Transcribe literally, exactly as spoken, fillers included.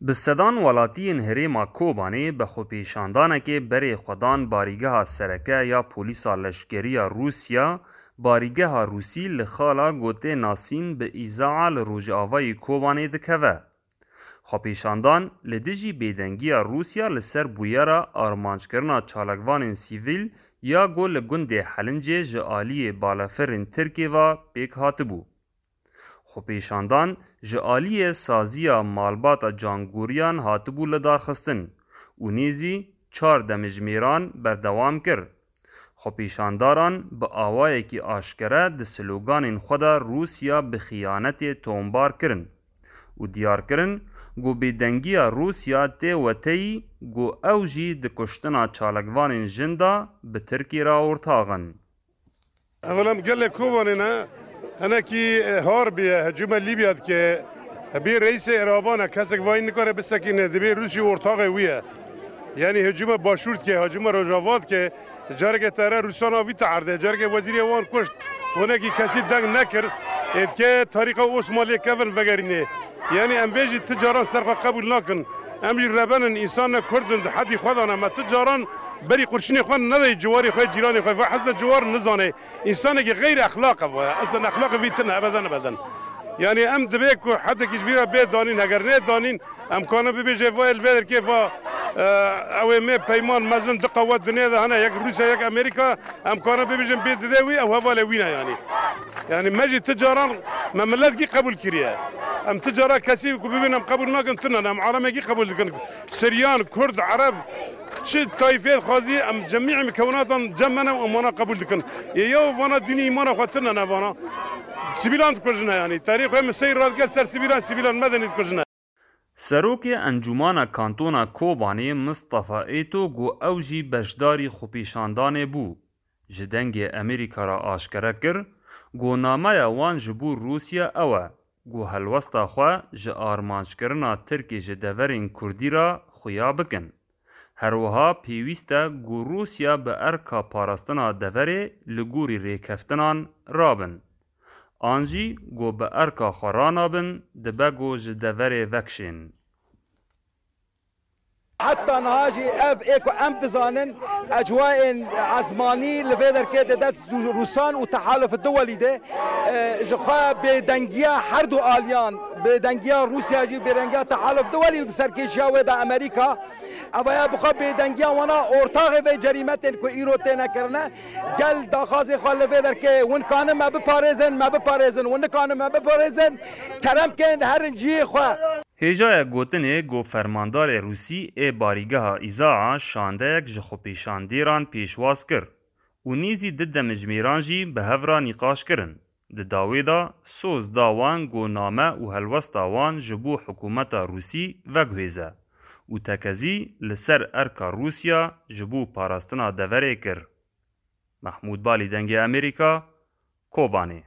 Bi sedan welatiyên herêma Kobanê bi xwepêşandanekê berê xwe dan barîgeha sereke ya polîsa leşkerî ya Rûsya, barîgeha Rûsî li xala ku tê nasîn bi Îzaa li rojavayê Kobanê dikeve. Xwepêşandan li dijî bêdengiya Rûsya li ser bûyera armanckirina çalakvanên sivîl ya ku li gundê Helincê ji aliyê balafirên Tirkê ve pêk hatibû. Xwepêşandan ji aliyê saziya malbata Can Goriyan hatibû lidarxistin û nêzî çar demjimêran berdewam kir. Xwepêşandaran bi awayekî aşkere di sloganên xwe de Rûsya bi xiyanetê tombar kirin û diyar kirin ku bêdengiya Rûsya tê weteyî ku ew jî di kuştina çalakvanên jin de bi Tirkiyê re ortax in. Evela em gelê Kobanê ne, hinekî, e, harbiye, hicûme Lîbya dike. Bê reîsê Îraban e, kesek vayî nikare bisekîne, dibê Rûsya ortaxê wî ye. Yanî hicûme Başûr dike, hicûme Rojava dike, careke tere Rûsana vî te erdê, careke wezîrê wan kuşt. Hinekî kesî deng nekir, ê dike tarîxa Osmanliyê kevin vegerînê. Yanî em vê jî ti caran ser xwe qebûl nakin. Em jî rebenin, însan ne, Kurd in, di hedî xwe de ne. Me ti caran berî qurşinê xwe nedayî ciwarê xwe, cîranê xwe. Va hezne ciwar nizane. Însanekî xeyr exlaq e vaya. Eslen exlaqê vî tine, ebeden ebeden. Yanî em dibê ku hedekî ji vî re bê danîn, heger nê danîn, em karin bibêje va li vê derkê va, e, ew ê me peyman mezin du qewet dinê de hene, yek Rûsya, yek Amerîka, em karin bibêjin bê didê wî, ew hevalê wî ne yanî. Yanî me jî ti caran me miletkî qebûl kiriye. Em ti cara kesî ku bibînin em qebûl nakin tune ne, em alemekî qebûl dikin. Siryan, Kurd, Ereb, çi tayfê dixwazî, em cemî mikewnatan cem me ne û em wana qebûl dikin. Ê yew vana dînî îmana xwe tune ne vana. Sivîlan dikujine yanî. Terî xwe min sey radikel ser sivîlan, sivîlan medenî dikujine. Serokê Encûmana Kantona Kobanê Mistefa Êto ku ew jî beşdarî xwepêşandanê bû, ji Dengê Amerîka re aşkere kir ku nameya wan ji bo Rûsya ew e ku helwesta xwe ji armanckirina Tirkê ji deverên Kurdî re xuya bikin. Her wiha pêwîst e ku Rûsya bi erka parastina deverê li gorî rêkeftinan rabin. An jî ku bi erka xwe ranabin, dibe ku ji deverê vekişên. Heta niha jî ev ê ku em dizanin, ecwayên ezmanî li vê derkê di dest Rûsan û Tehaluf Duwelî de, e, ji xwe bêdengiya her du aliyan, bêdengiya Rûsya jî, bêdengiya Tehaluf Duwelî û di serkêşiya wê de Amerîka, ev ya bi xwe bêdengiya wana ortaxê vê cerîmetên ku îro têne kirine, gel daxwazê xwe li vê derkê, win kanin me biparêzin, me biparêzin, win nikanin me biparêzin, kerem kên herin cihê xwe. Hêjaya gotinê ku fermandarê Rûsî ê barîgeha Îzaa şandeyek ji xwepêşandêran pêşwaz kir û nêzî du demjimêran jî bi hev re nîqaş kirin. Di dawê de soz da wan ku name û helwesta wan ji bo hikûmeta Rûsî veguhêze û tekezî li ser erka Rûsya ji bo parastina deverê kir. Mehmûd Balî, Dengê Amerîka, Kobanê.